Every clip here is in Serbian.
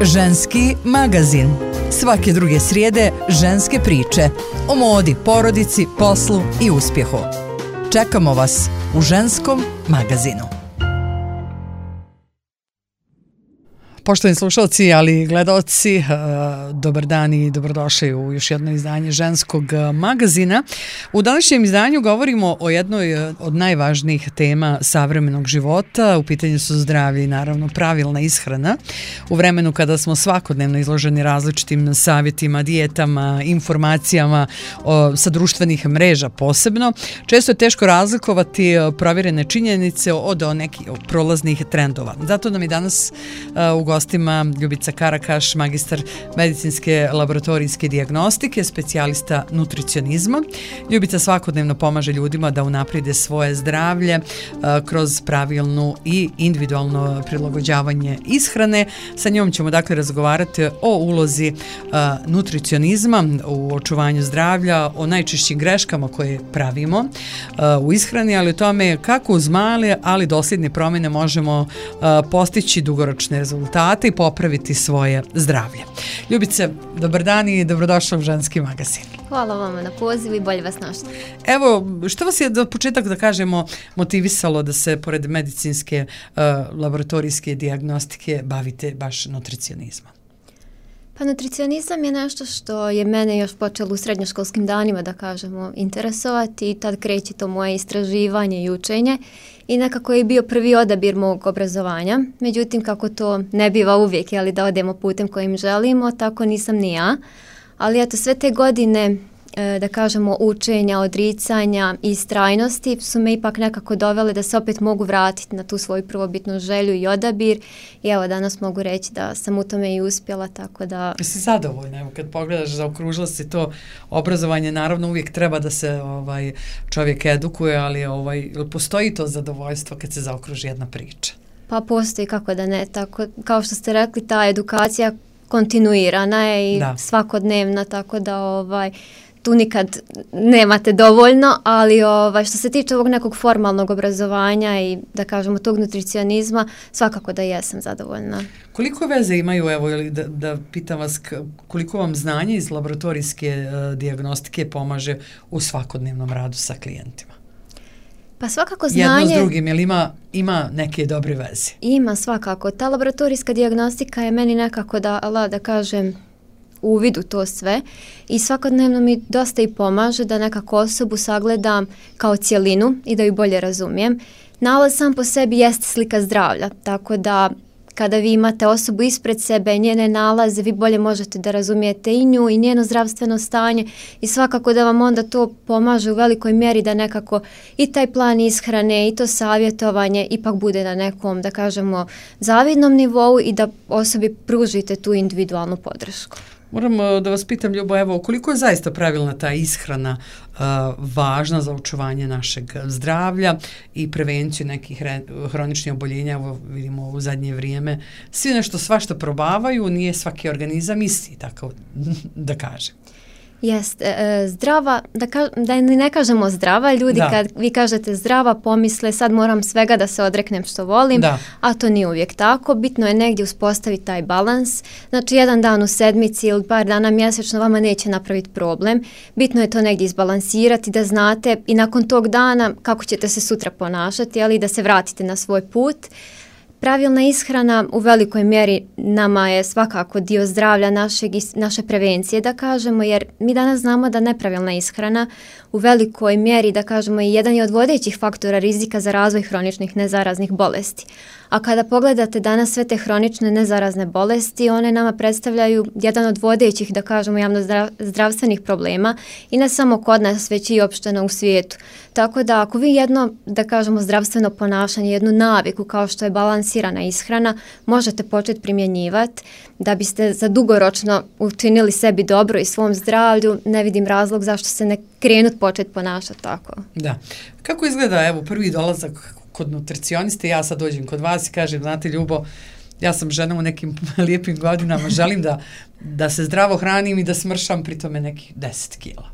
Ženski magazin. Svake druge srijede ženske priče o modi, porodici, poslu i uspjehu. Čekamo vas u Ženskom magazinu. Poštovani slušalci, ali i gledaoci, dobar dan i dobrodošli u još jedno izdanje Ženskog magazina. U današnjem izdanju govorimo o jednoj od najvažnijih tema savremenog života. U pitanju su zdravlje i naravno pravilna ishrana. U vremenu kada smo svakodnevno izloženi različitim savjetima, dijetama, informacijama sa društvenih mreža posebno, često je teško razlikovati provjerene činjenice od nekih prolaznih trendova. Zato nam je danas u gostima Ljubica Karakaš, magistar medicinske laboratorijske dijagnostike, specijalista nutricionizma. Ljubica svakodnevno pomaže ljudima da unaprijede svoje zdravlje kroz pravilnu i individualno prilagođavanje ishrane. Sa njom ćemo dakle razgovarati o ulozi nutricionizma u očuvanju zdravlja, o najčešćim greškama koje pravimo u ishrani, ali o tome kako uz male, ali dosljedne promjene možemo postići dugoročne rezultate i popraviti svoje zdravlje. Ljubice, dobar dan i dobrodošla u Ženski magazin. Hvala vama na pozivu i bolje vas našla. Evo, što vas je do početak, da kažemo, motivisalo da se pored medicinske laboratorijske dijagnostike bavite baš nutricionizmom? Pa nutricionizam je nešto što je mene još počelo u srednjoškolskim danima, da kažemo, interesovati i tad kreće to moje istraživanje i učenje i nekako je bio prvi odabir mog obrazovanja. Međutim, kako to ne biva uvijek, da odemo putem kojim želimo, tako nisam ni ja. Ali eto, sve te godine, da kažemo, učenja, odricanja i istrajnosti su me ipak nekako dovele da se opet mogu vratiti na tu svoju prvobitnu želju i odabir. I evo, danas mogu reći da sam u tome i uspjela, tako da... Jesi zadovoljna? Evo, kad pogledaš, zaokružila si to obrazovanje, naravno uvijek treba da se čovjek edukuje, ali postoji to zadovoljstvo kad se zaokruži jedna priča? Pa postoji, kako da ne. Tako, kao što ste rekli, ta edukacija kontinuirana je i svakodnevna, tako da tu nikad nemate dovoljno, ali što se tiče ovog nekog formalnog obrazovanja i da kažemo tog nutricionizma, svakako da jesam zadovoljna. Koliko veze imaju, evo, ili da pitam vas, koliko vam znanje iz laboratorijske dijagnostike pomaže u svakodnevnom radu sa klijentima? Pa svakako znanje... Jedno s drugim, jel ima neke dobre veze? Ima svakako. Ta laboratorijska dijagnostika je meni nekako da kažem uvid u to sve i svakodnevno mi dosta i pomaže da nekako osobu sagledam kao cjelinu i da ju bolje razumijem. Nalaz sam po sebi jeste slika zdravlja, tako da kada vi imate osobu ispred sebe, njene nalaze, vi bolje možete da razumijete i nju i njeno zdravstveno stanje i svakako da vam onda to pomaže u velikoj mjeri da nekako i taj plan ishrane i to savjetovanje ipak bude na nekom, da kažemo, zavidnom nivou i da osobi pružite tu individualnu podršku. Moram da vas pitam, Ljubo, evo, koliko je zaista pravilna ta ishrana važna za očuvanje našeg zdravlja i prevenciju nekih hroničnih oboljenja? Evo, vidimo u zadnje vrijeme, svi nešto svašta probavaju, nije svaki organizam isti, tako da kažem. Jeste, zdrava, da ne kažemo zdrava, ljudi kad vi kažete zdrava pomisle sad moram svega da se odreknem što volim, a to nije uvijek tako. Bitno je negdje uspostaviti taj balans, znači jedan dan u sedmici ili par dana mjesečno vama neće napraviti problem. Bitno je to negdje izbalansirati, da znate i nakon tog dana kako ćete se sutra ponašati, ali da se vratite na svoj put. Pravilna ishrana u velikoj mjeri nama je svakako dio zdravlja naše prevencije, da kažemo, jer mi danas znamo da nepravilna ishrana u velikoj mjeri, da kažemo, je jedan od vodećih faktora rizika za razvoj hroničnih nezaraznih bolesti. A kada pogledate danas sve te hronične nezarazne bolesti, one nama predstavljaju jedan od vodećih, da kažemo, javnozdravstvenih problema i ne samo kod nas, već i opšteno u svijetu. Tako da ako vi jedno, da kažemo, zdravstveno ponašanje, jednu naviku kao što je balansirana ishrana, možete početi primjenjivati da biste za dugoročno učinili sebi dobro i svom zdravlju, ne vidim razlog zašto se ne krenut početi ponašati tako. Da. Kako izgleda, evo, prvi dolazak kod nutricioniste? Ja sad dođem kod vas i kažem, znate, Ljubo, ja sam žena u nekim lijepim godinama, želim da se zdravo hranim i da smršam pri tome nekih 10 kila.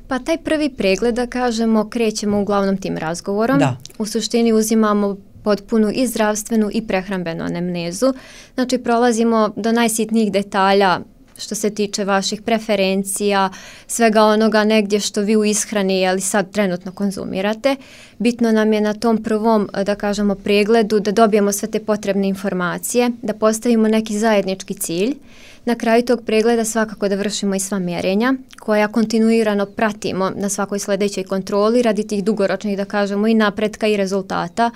Pa taj prvi pregled, da kažemo, krećemo uglavnom tim razgovorom. Da. U suštini uzimamo potpunu i zdravstvenu i prehrambenu anemnezu. Znači prolazimo do najsitnijih detalja što se tiče vaših preferencija, svega onoga negdje što vi u ishrani ali sad trenutno konzumirate. Bitno nam je na tom prvom, da kažemo, pregledu da dobijemo sve te potrebne informacije, da postavimo neki zajednički cilj. Na kraju tog pregleda svakako da vršimo i sva mjerenja koja kontinuirano pratimo na svakoj sljedećoj kontroli radi tih dugoročnih, da kažemo, i napretka i rezultata.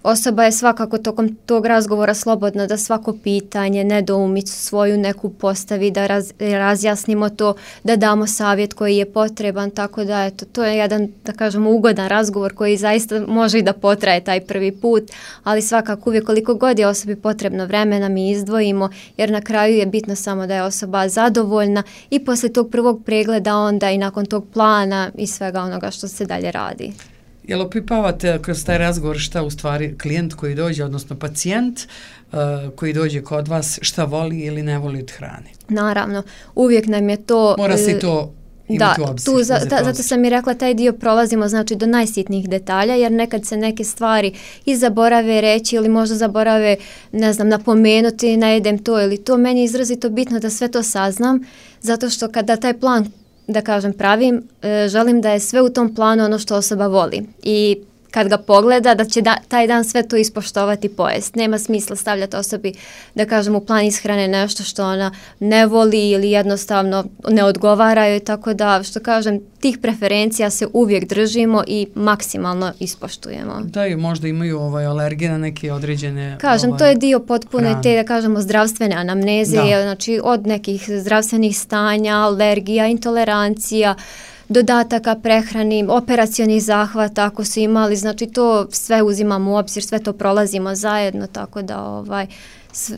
Osoba je svakako tokom tog razgovora slobodna da svako pitanje, nedoumicu svoju neku postavi, da razjasnimo to, da damo savjet koji je potreban, tako da eto, to je jedan, da kažemo, ugodan razgovor koji zaista može i da potraje taj prvi put, ali svakako uvijek koliko god je osobi potrebno vremena mi izdvojimo, jer na kraju je bitno samo da je osoba zadovoljna i poslije tog prvog pregleda onda i nakon tog plana i svega onoga što se dalje radi. Jel opipavate kroz taj razgovor šta u stvari klijent koji dođe, odnosno pacijent koji dođe kod vas, šta voli ili ne voli od hrane? Naravno, uvijek nam je to... Mora se to imati u obzir. Zato sam i rekla, taj dio prolazimo znači do najsitnijih detalja, jer nekad se neke stvari i zaborave reći ili možda zaborave, ne znam, napomenuti, ne jedem to ili to. Meni je izrazito bitno da sve to saznam, zato što kada taj plan, da kažem, pravim, želim da je sve u tom planu ono što osoba voli i kad ga pogleda da će taj dan sve to ispoštovati, pojest. Nema smisla stavljati osobi, da kažem, u plan ishrane nešto što ona ne voli ili jednostavno ne odgovara joj, tako da, što kažem, tih preferencija se uvijek držimo i maksimalno ispoštujemo. Da, i možda imaju alergije na neke određene... Kažem, to je dio potpune te, da kažemo, zdravstvene anamneze, znači od nekih zdravstvenih stanja, alergija, intolerancija, dodataka prehrani, operacionih zahvata ako su imali, znači to sve uzimamo u obzir, sve to prolazimo zajedno, tako da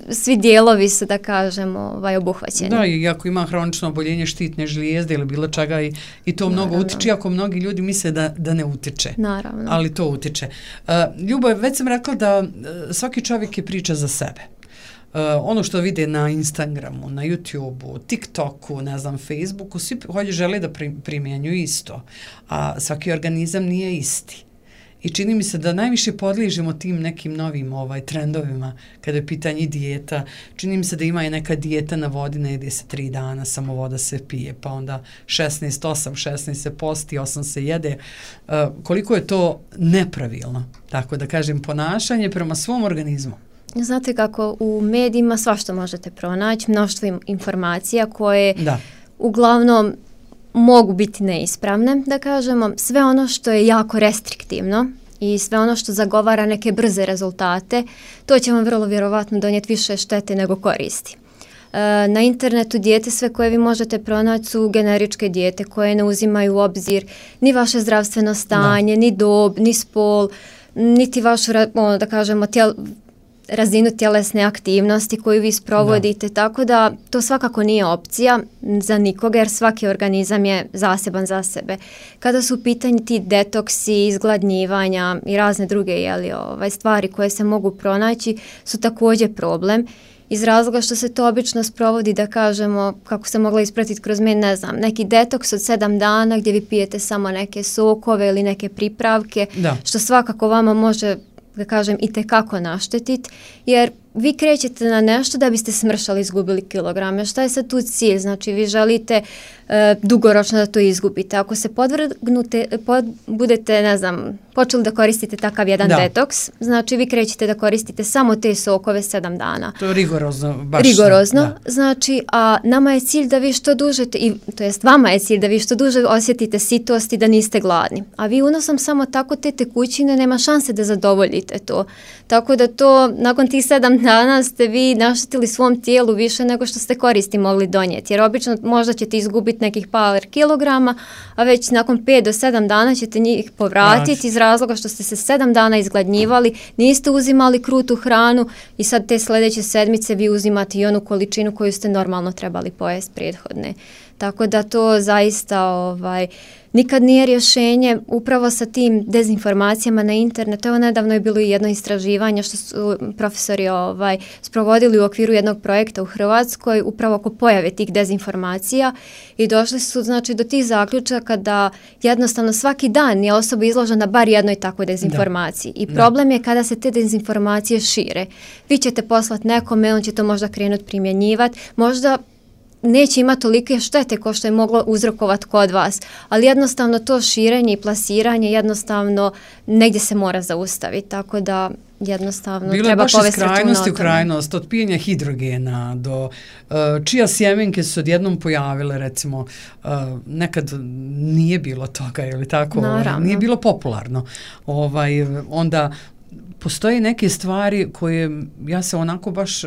svi dijelovi su, da kažemo, obuhvaćeni. Da, i ako ima hronično oboljenje štitne žlijezde ili bilo čega i to mnogo utiče, ako mnogi ljudi misle da ne utiče. Naravno. Ali to utiče. Ljubav, već sam rekla da svaki čovjek je priča za sebe. Ono što vide na Instagramu, na YouTubeu, TikToku, ne znam, Facebooku, svi žele da primjenjuju isto, a svaki organizam nije isti. I čini mi se da najviše podliježemo tim nekim novim trendovima kada je pitanje dijeta. Čini mi se da ima i neka dijeta na vodi, ne jede se 3 dana, samo voda se pije, pa onda 16 se posti, 8 se jede. Koliko je to nepravilno, tako da kažem, ponašanje prema svom organizmu. Znate kako, u medijima svašta možete pronaći, mnoštvo informacija koje uglavnom mogu biti neispravne, da kažemo. Sve ono što je jako restriktivno i sve ono što zagovara neke brze rezultate, to će vam vrlo vjerovatno donijeti više štete nego koristi. Na internetu dijete sve koje vi možete pronaći su generičke dijete koje ne uzimaju u obzir ni vaše zdravstveno stanje, ni dob, ni spol, niti vašu, da kažemo, razinu tjelesne aktivnosti koju vi sprovodite, tako da to svakako nije opcija za nikoga jer svaki organizam je zaseban za sebe. Kada su u pitanju ti detoksi, izgladnjivanja i razne druge stvari koje se mogu pronaći su također problem iz razloga što se to obično sprovodi, da kažemo, kako se mogla ispratiti kroz ne znam, neki detoks od 7 dana gdje vi pijete samo neke sokove ili neke pripravke, što svakako vama može, da kažem, itekako naštetiti, jer vi krećete na nešto da biste smršali, izgubili kilograme. Šta je sad tu cilj? Znači, vi želite dugoročno da to izgubite. Ako se budete, ne znam, počeli da koristite takav jedan detoks, znači vi krećete da koristite samo te sokove 7 dana. To je rigorozno. Znači, a nama je cilj da vi što duže, to jest vama je cilj da vi što duže osjetite sitost i da niste gladni. A vi unosom samo tako te tekućine nema šanse da zadovoljite to. Tako da to, nakon tih 7 dana ste vi naštetili svom tijelu više nego što ste koristi mogli donijeti. Jer obično možda ćete izgubiti nekih par kilograma, a već nakon 5 do 7 dana ćete njih povratiti iz razloga što ste se 7 dana izgladnjivali, niste uzimali krutu hranu i sad te sljedeće sedmice vi uzimate i onu količinu koju ste normalno trebali pojesti prethodne. Tako da to zaista nikad nije rješenje upravo sa tim dezinformacijama na internetu. Evo nedavno je bilo i jedno istraživanje što su profesori sprovodili u okviru jednog projekta u Hrvatskoj upravo oko pojave tih dezinformacija i došli su znači do tih zaključaka da jednostavno svaki dan je osoba izložena bar jednoj takvoj dezinformaciji. I problem je kada se te dezinformacije šire. Vi ćete poslati nekome, on će to možda krenuti primjenjivati, možda neće imati tolike štete kao što je moglo uzrokovati kod vas, ali jednostavno to širenje i plasiranje jednostavno negdje se mora zaustaviti, tako da jednostavno bilo treba povesti računa o tome. Bilo je baš iz krajnosti u krajnost, od pijenja hidrogena do čija sjemenke su odjednom pojavile, recimo, nekad nije bilo toga, ili tako, nije bilo popularno. Onda postoje neke stvari koje ja se onako baš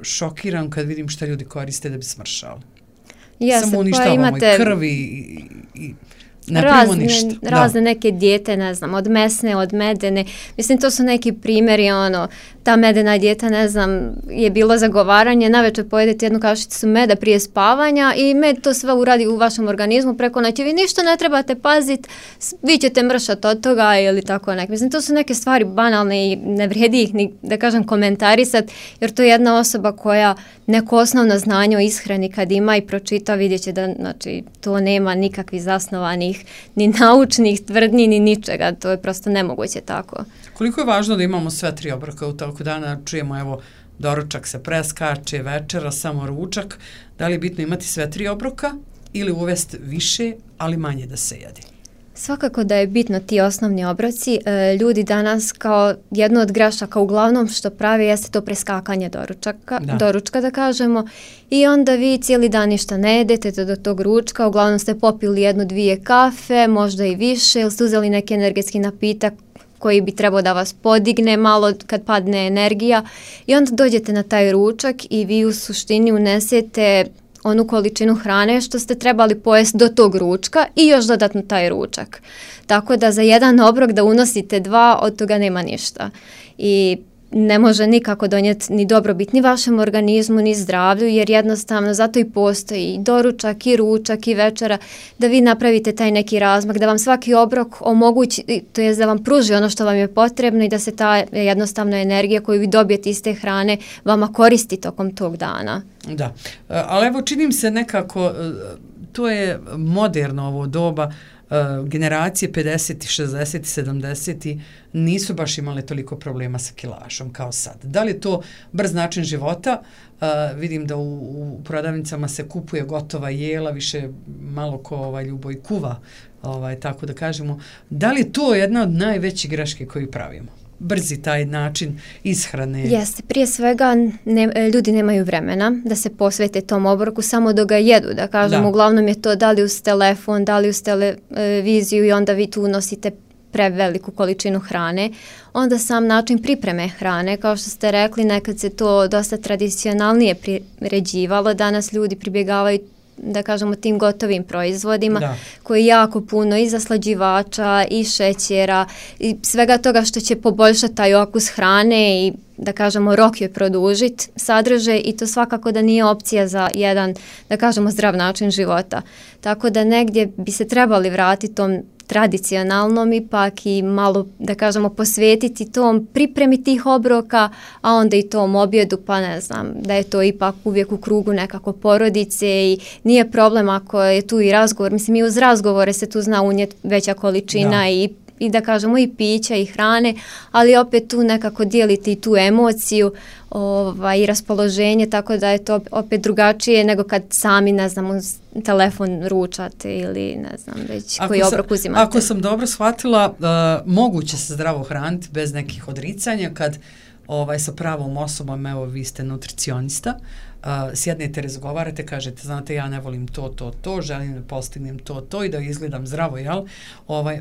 šokiram kad vidim šta ljudi koriste da bi smršali. Samo uništavamo i krvi i ne pravimo ništa. Razne neke dijete, ne znam, od mesne, od medene. Mislim, to su neki primjeri, ta medena dijeta, ne znam, je bilo zagovaranje, navečer pojedete jednu kašicu meda prije spavanja i med to sve uradi u vašem organizmu preko noći. Vi ništa ne trebate paziti, vi ćete mršati od toga ili tako nek. Mislim, to su neke stvari banalne i ne vrijedi ih ni, da kažem, komentarisati, jer to je jedna osoba koja neko osnovno znanje o ishrani kad ima i pročita, vidjet će da znači, to nema nikakvih zasnovanih ni naučnih tvrdnji, ni ničega. To je prosto nemoguće tako. Koliko je važno da imamo sve tri obroka u toku dana? Čujemo, evo, doručak se preskače, večera, samo ručak. Da li je bitno imati sve tri obroka ili uvesti više, ali manje da se jede? Svakako da je bitno ti osnovni obroci. Ljudi danas kao jedno od grešaka uglavnom što prave jeste to preskakanje doručka da kažemo i onda vi cijeli dan ništa ne jedete do tog ručka, uglavnom ste popili 1-2 kafe, možda i više, ili ste uzeli neki energetski napitak koji bi trebao da vas podigne malo kad padne energija i onda dođete na taj ručak i vi u suštini unesete onu količinu hrane što ste trebali pojesti do tog ručka i još dodatno taj ručak. Tako da za jedan obrok da unosite 2, od toga nema ništa. I ne može nikako donijeti ni dobrobit ni vašem organizmu, ni zdravlju, jer jednostavno zato i postoji i doručak, i ručak, i večera, da vi napravite taj neki razmak, da vam svaki obrok omogući, to je da vam pruži ono što vam je potrebno i da se ta jednostavna energija koju vi dobijete iz te hrane vama koristi tokom tog dana. Da, ali evo činim se nekako, to je moderno ovo doba, generacije 50, 60, 70 nisu baš imale toliko problema sa kilažom kao sad. Da li je to brz način života? Vidim da u prodavnicama se kupuje gotova jela, više malo ko Ljuboj kuva, tako da kažemo. Da li je to jedna od najvećih greške koju pravimo? Brzi taj način ishrane. Jeste, prije svega ljudi nemaju vremena da se posvete tom obroku samo dok ga jedu, da kažem, uglavnom je to da li uz telefon, da li uz televiziju i onda vi tu unosite preveliku količinu hrane. Onda sam način pripreme hrane, kao što ste rekli, nekad se to dosta tradicionalnije priređivalo, danas ljudi pribjegavaju da kažemo tim gotovim proizvodima koji jako puno i zaslađivača i šećera i svega toga što će poboljšati taj okus hrane i da kažemo rok joj produžiti sadržaj i to svakako da nije opcija za jedan da kažemo zdrav način života. Tako da negdje bi se trebali vratiti tom tradicionalnom ipak i malo da kažemo posvetiti tom pripremi tih obroka, a onda i tom objedu, pa ne znam, da je to ipak uvijek u krugu nekako porodice i nije problem ako je tu i razgovor, mislim i uz razgovore se tu zna unijeti veća količina i da kažemo i pića i hrane, ali opet tu nekako dijeliti i tu emociju i raspoloženje, tako da je to opet drugačije nego kad sami, ne znam, uz telefon ručate ili ne znam već koji obrok uzimate. Ako sam dobro shvatila, moguće se zdravo hraniti bez nekih odricanja kad sa pravom osobom, evo vi ste nutricionista, sjednete, razgovarate, kažete, znate, ja ne volim to, želim da postignem to i da izgledam zdravo, jel?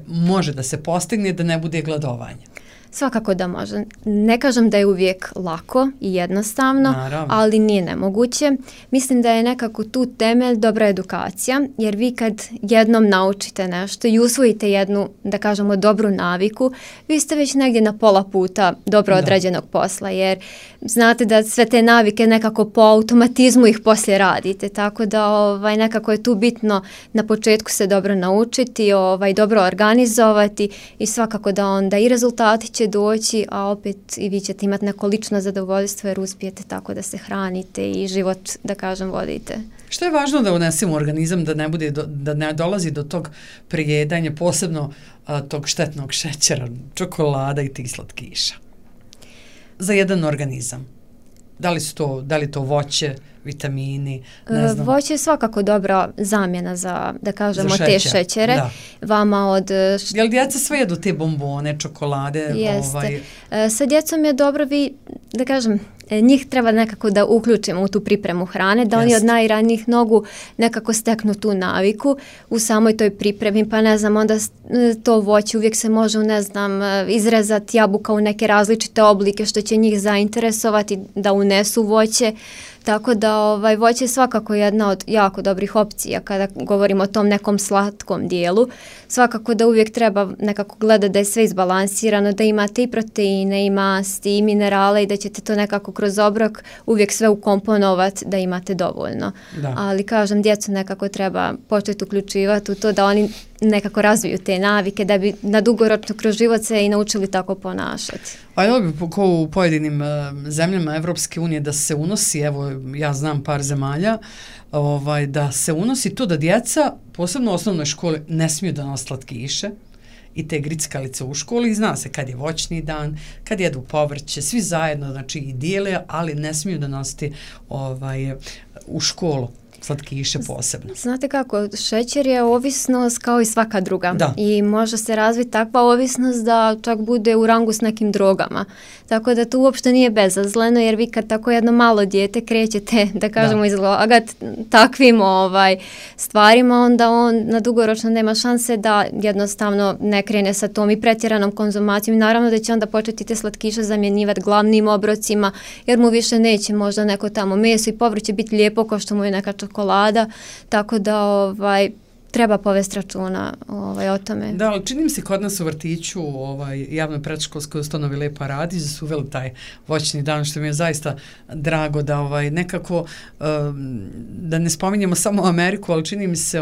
Može da se postigne da ne bude gladovanje. Svakako da može. Ne kažem da je uvijek lako i jednostavno, ali nije nemoguće. Mislim da je nekako tu temelj dobra edukacija, jer vi kad jednom naučite nešto i usvojite jednu, da kažemo, dobru naviku, vi ste već negdje na pola puta dobro odrađenog posla, jer znate da sve te navike nekako po automatizmu ih poslije radite, tako da nekako je tu bitno na početku se dobro naučiti, dobro organizovati i svakako da onda i rezultati će doći, a opet i vi ćete imati neko lično zadovoljstvo jer uspijete tako da se hranite i život, da kažem, vodite. Što je važno da unesemo u organizam da ne dolazi do tog prijedanja, posebno tog štetnog šećera, čokolada i tih slatkiša? Za jedan organizam. Da li to voće, vitamini, ne znam. Voće je svakako dobra zamjena za, da kažemo, te šećere. Da. Vama od... Jel djeca sve jedu te bombone, čokolade? Jeste. Sa djecom je dobro da kažem, njih treba nekako da uključimo u tu pripremu hrane, da oni od najranijih nogu nekako steknu tu naviku u samoj toj pripremi, pa ne znam, onda to voće uvijek se može, ne znam, izrezati jabuka u neke različite oblike što će njih zainteresovati da unesu voće. Tako da voće je svakako jedna od jako dobrih opcija kada govorimo o tom nekom slatkom dijelu. Svakako da uvijek treba nekako gledati da je sve izbalansirano, da imate i proteine, i masti, i minerale i da ćete to nekako kroz obrok uvijek sve ukomponovati da imate dovoljno. Da. Ali kažem, djecu nekako treba početi uključivati u to da oni nekako razviju te navike da bi na dugoročno kroz život se i naučili tako ponašati. A je li ko u pojedinim zemljama Evropske unije da se unosi, evo ja znam par zemalja, da se unosi to da djeca, posebno u osnovnoj školi, ne smiju da nose slatkiše i te grickalice u školi i zna se kad je voćni dan, kad jedu povrće, svi zajedno, znači i dijele, ali ne smiju da nositi u školu slatkiše posebno. Znate kako, šećer je ovisnost kao i svaka druga. I može se razviti takva ovisnost da čak bude u rangu s nekim drogama. Tako da to uopšte nije bezazleno, jer vi kad tako jedno malo dijete krećete, da kažemo, izlagati takvim stvarima, onda on na dugoročno nema šanse da jednostavno ne krene sa tom i pretjeranom konzumacijom. I naravno da će onda početi te slatkiše zamjenjivati glavnim obrocima, jer mu više neće možda neko tamo meso i povrće biti lijepo kao što mu je neka čokolada, tako da treba povesti računa o tome. Da, ali čini mi se kod nas u vrtiću javnoj predškolskoj ustanovi Lepa Radić da su uveli taj voćni dan, što mi je zaista drago da nekako da ne spominjemo samo Ameriku, ali čini mi se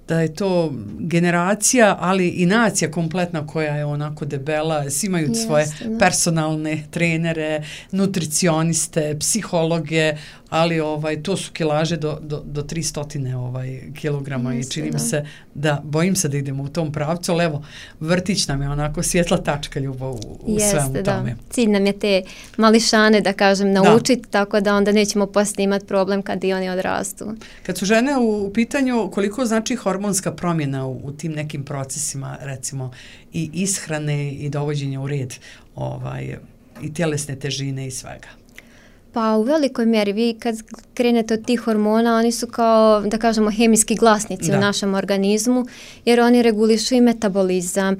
da je to generacija, ali i nacija kompletna koja je onako debela, svi imaju svoje personalne trenere, nutricioniste, psihologe, ali to su kilaže do 300 kilograma i čini mi se da, bojim se da idemo u tom pravcu, ali evo, vrtić nam je onako svjetla tačka ljubav u svemu tome. Cilj nam je te mališane, da kažem, naučiti, tako da onda nećemo poslije imati problem kad i oni odrastu. Kad su žene u pitanju, koliko znači hormonska promjena u tim nekim procesima, recimo i ishrane i dovođenja u red i tjelesne težine i svega? Pa u velikoj mjeri vi kad krenete od tih hormona, oni su kao, da kažemo, hemijski glasnici u našem organizmu, jer oni regulišu i metabolizam,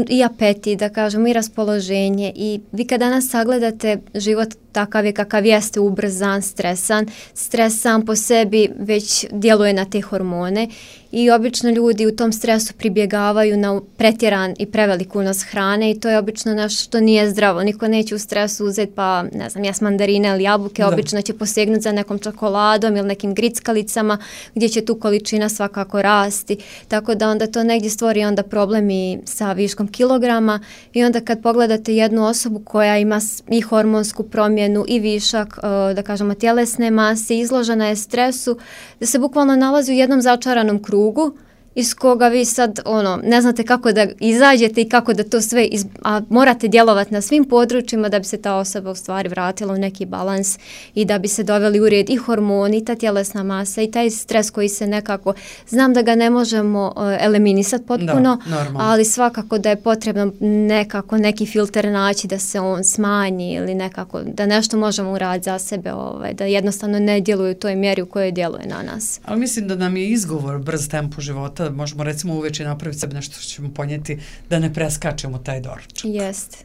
i apetit, da kažemo, i raspoloženje. I vi kad danas sagledate život takav je kakav jeste, ubrzan, stresan, stres sam po sebi već djeluje na te hormone i obično ljudi u tom stresu pribjegavaju na pretjeran i prevelik unos hrane i to je obično nešto što nije zdravo. Niko neće u stresu uzeti pa, ne znam, jes mandarine ili jabuke, obično će posegnuti za nekom čokoladom ili nekim grickalicama gdje će tu količina svakako rasti. Tako da onda to negdje stvori onda problem i sa viškom kilograma i onda kad pogledate jednu osobu koja ima i hormonsku promjenu i višak, da kažemo, tjelesne mase, izložena je stresu, da se bukvalno nalazi u jednom začaranom krugu iz koga vi sad ne znate kako da izađete i kako da to sve, a morate djelovati na svim područjima da bi se ta osoba u stvari vratila u neki balans i da bi se doveli u red i hormoni, i ta tjelesna masa i taj stres koji se nekako, znam da ga ne možemo eliminisati potpuno, ali svakako da je potrebno nekako neki filter naći da se on smanji ili nekako da nešto možemo uraditi za sebe, da jednostavno ne djeluje u toj mjeri u kojoj djeluje na nas. Ali mislim da nam je izgovor brz tempo života, možemo recimo uveče napraviti sebi nešto što ćemo ponijeti da ne preskačemo taj doručak. Jeste,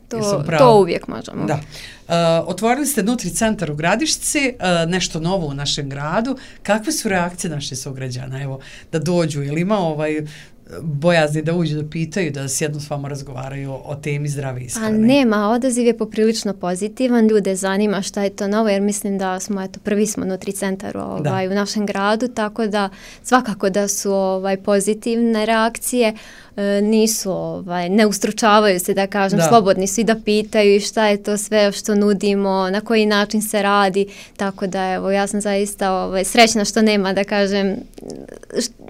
to uvijek možemo. Da. Otvorili ste Nutri centar u Gradišci, nešto novo u našem gradu. Kakve su reakcije naših sugrađana? Evo, da dođu, ili ima bojazni da uđu da pitaju, da sjednu s vama razgovaraju o temi zdrave ishrane? A nema, odaziv je poprilično pozitivan, ljude zanima šta je to novo, jer mislim da smo, prvi smo Nutricentar u našem gradu, tako da svakako da su pozitivne reakcije, nisu, ne ustručavaju se, da kažem, slobodni su i da pitaju šta je to sve što nudimo, na koji način se radi, tako da evo, ja sam zaista srećna što nema, da kažem,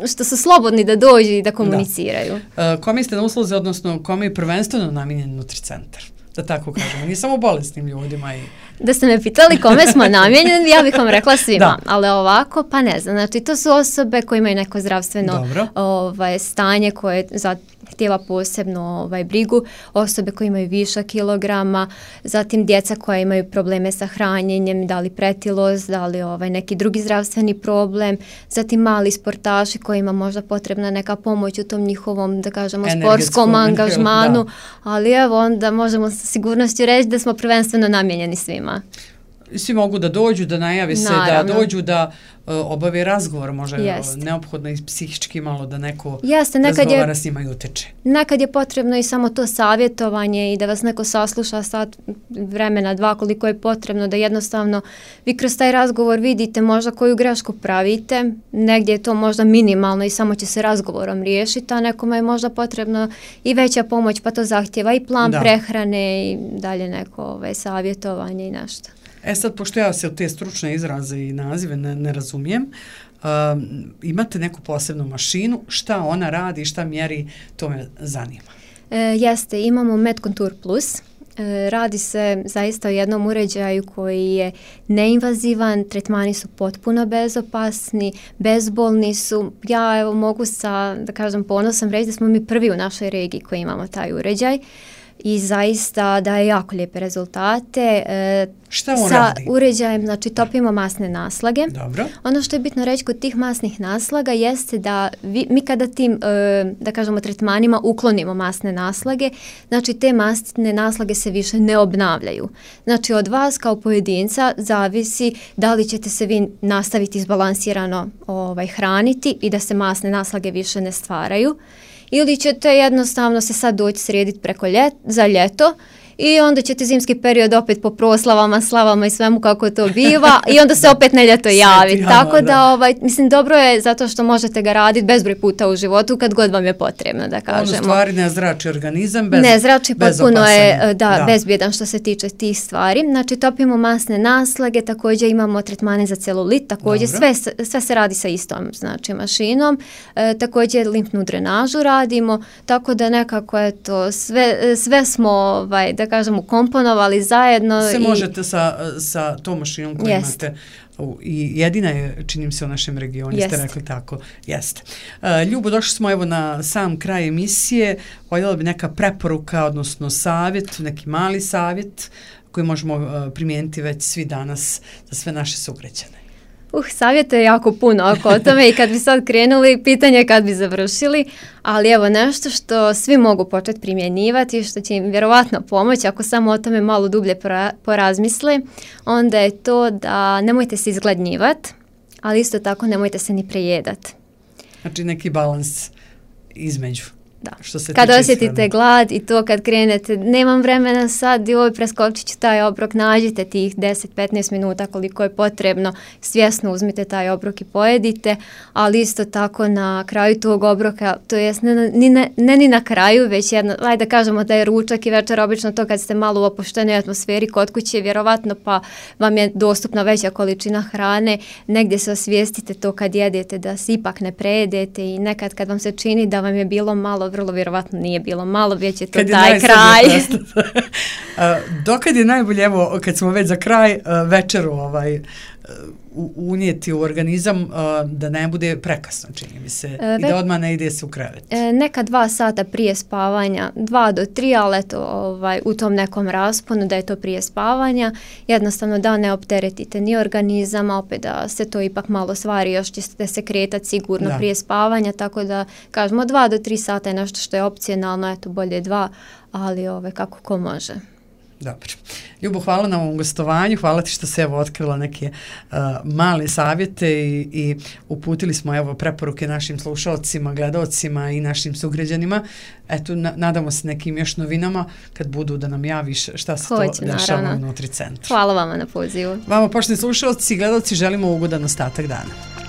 što su slobodni da dođu i da komuniciraju. Kome ste na usluzi, odnosno kome je prvenstveno namijenjen Nutricentar? Da tako kažemo, nije samo bolesnim ljudima. Da ste me pitali kome smo namijenjeni, ja bih vam rekla svima, ali ovako, pa ne znam, znači to su osobe koje imaju neko zdravstveno stanje koje zahtijeva posebno brigu, osobe koje imaju višak kilograma, zatim djeca koja imaju probleme sa hranjenjem, da li pretilost, da li neki drugi zdravstveni problem, zatim mali sportaši kojima možda potrebna neka pomoć u tom njihovom, da kažemo, sportskom angažmanu, ali evo onda možemo sa sigurnošću reći da smo prvenstveno namijenjeni svima. Svi mogu da dođu, da najavi se, da dođu, da obave razgovor, može neophodno i psihički malo da neko razgovara s njima i uteče. Nekad je potrebno i samo to savjetovanje i da vas neko sasluša sat vremena, 2, koliko je potrebno, da jednostavno vi kroz taj razgovor vidite možda koju grešku pravite, negdje je to možda minimalno i samo će se razgovorom riješiti, a nekome je možda potrebno i veća pomoć, pa to zahtjeva i plan prehrane i dalje neko savjetovanje i nešto. Sad, pošto ja se u te stručne izraze i nazive ne razumijem, imate neku posebnu mašinu, šta ona radi, šta mjeri, to me zanima. Jeste, imamo MedContour Plus. Radi se zaista o jednom uređaju koji je neinvazivan, tretmani su potpuno bezopasni, bezbolni su. Ja evo mogu da kažem ponosom reći da smo mi prvi u našoj regiji koji imamo taj uređaj. I zaista daje jako lijepe rezultate. Šta on radi? Sa uređajem, znači topimo masne naslage. Dobro. Ono što je bitno reći kod tih masnih naslaga jeste da mi kada tim, da kažemo, tretmanima uklonimo masne naslage, znači te masne naslage se više ne obnavljaju. Znači od vas kao pojedinca zavisi da li ćete se vi nastaviti izbalansirano hraniti i da se masne naslage više ne stvaraju, ili ćete jednostavno se sad doći srediti za ljeto i onda ćete zimski period opet po proslavama, slavama i svemu kako to biva i onda se opet na ljeto javiti. Tako da, mislim, dobro je zato što možete ga raditi bezbroj puta u životu kad god vam je potrebno, da kažemo. On u stvari ne zrači organizam, ne zrači, potpuno je bezbjedan što se tiče tih stvari. Znači, topimo masne naslage, također imamo tretmane za celulit, također sve se radi sa istom, znači, mašinom. Također limfnu drenažu radimo, tako da nekako sve smo, da kažemo, komponovali zajedno. Se možete sa tom mašinom koju imate i jedina je, činim se, u našem regionu, ste rekli tako. Jeste. Ljubo, došli smo evo na sam kraj emisije. Voljela bi neka preporuka, odnosno savjet, neki mali savjet koji možemo primijeniti već svi danas za sve naše sugrađane. Savjeta je jako puno oko tome i kad bi sad krenuli, pitanje je kad bi završili, ali evo nešto što svi mogu početi primjenjivati i što će im vjerovatno pomoći ako samo o tome malo dublje porazmisle, onda je to da nemojte se izgladnjivati, ali isto tako nemojte se ni prejedati. Znači neki balans između. Da. Kad osjetite glad i to kad krenete, nemam vremena sad i preskočit ću taj obrok, nađite tih 10-15 minuta koliko je potrebno, svjesno uzmite taj obrok i pojedite, ali isto tako na kraju tog obroka, to jest ne ni na kraju, već jedno, ajde da kažemo da je ručak i večer, obično to kad ste malo u opuštenoj atmosferi kod kuće, vjerovatno pa vam je dostupna veća količina hrane, negdje se osvijestite to kad jedete da se ipak ne prejedete i nekad kad vam se čini da vam je bilo malo, vrlo vjerovatno nije bilo malo, već je to taj kraj. Dokad je najbolje, evo, kad smo već za kraj, večeru unijeti u organizam da ne bude prekasno, čini mi se, i da odmah ne ide se u krevet? Neka 2 sata prije spavanja, 2 do 3, ali eto, u tom nekom rasponu da je to prije spavanja, jednostavno da ne opteretite ni organizam, a opet da se to ipak malo stvari, još ćete se kretati sigurno prije spavanja, tako da kažemo 2 do 3 sata je nešto što je opcionalno, eto bolje 2, ali kako ko može. Dobro. Ljubo, hvala na ovom gostovanju, hvala ti što se evo otkrila neke male savjete i uputili smo evo preporuke našim slušalcima, gledalcima i našim sugrađanima. Eto, nadamo se nekim još novinama kad budu da nam javiš šta se to dešava u Nutri centru. Hvala vama na pozivu. Vama, poštovani slušalci i gledalci, želimo ugodan ostatak dana.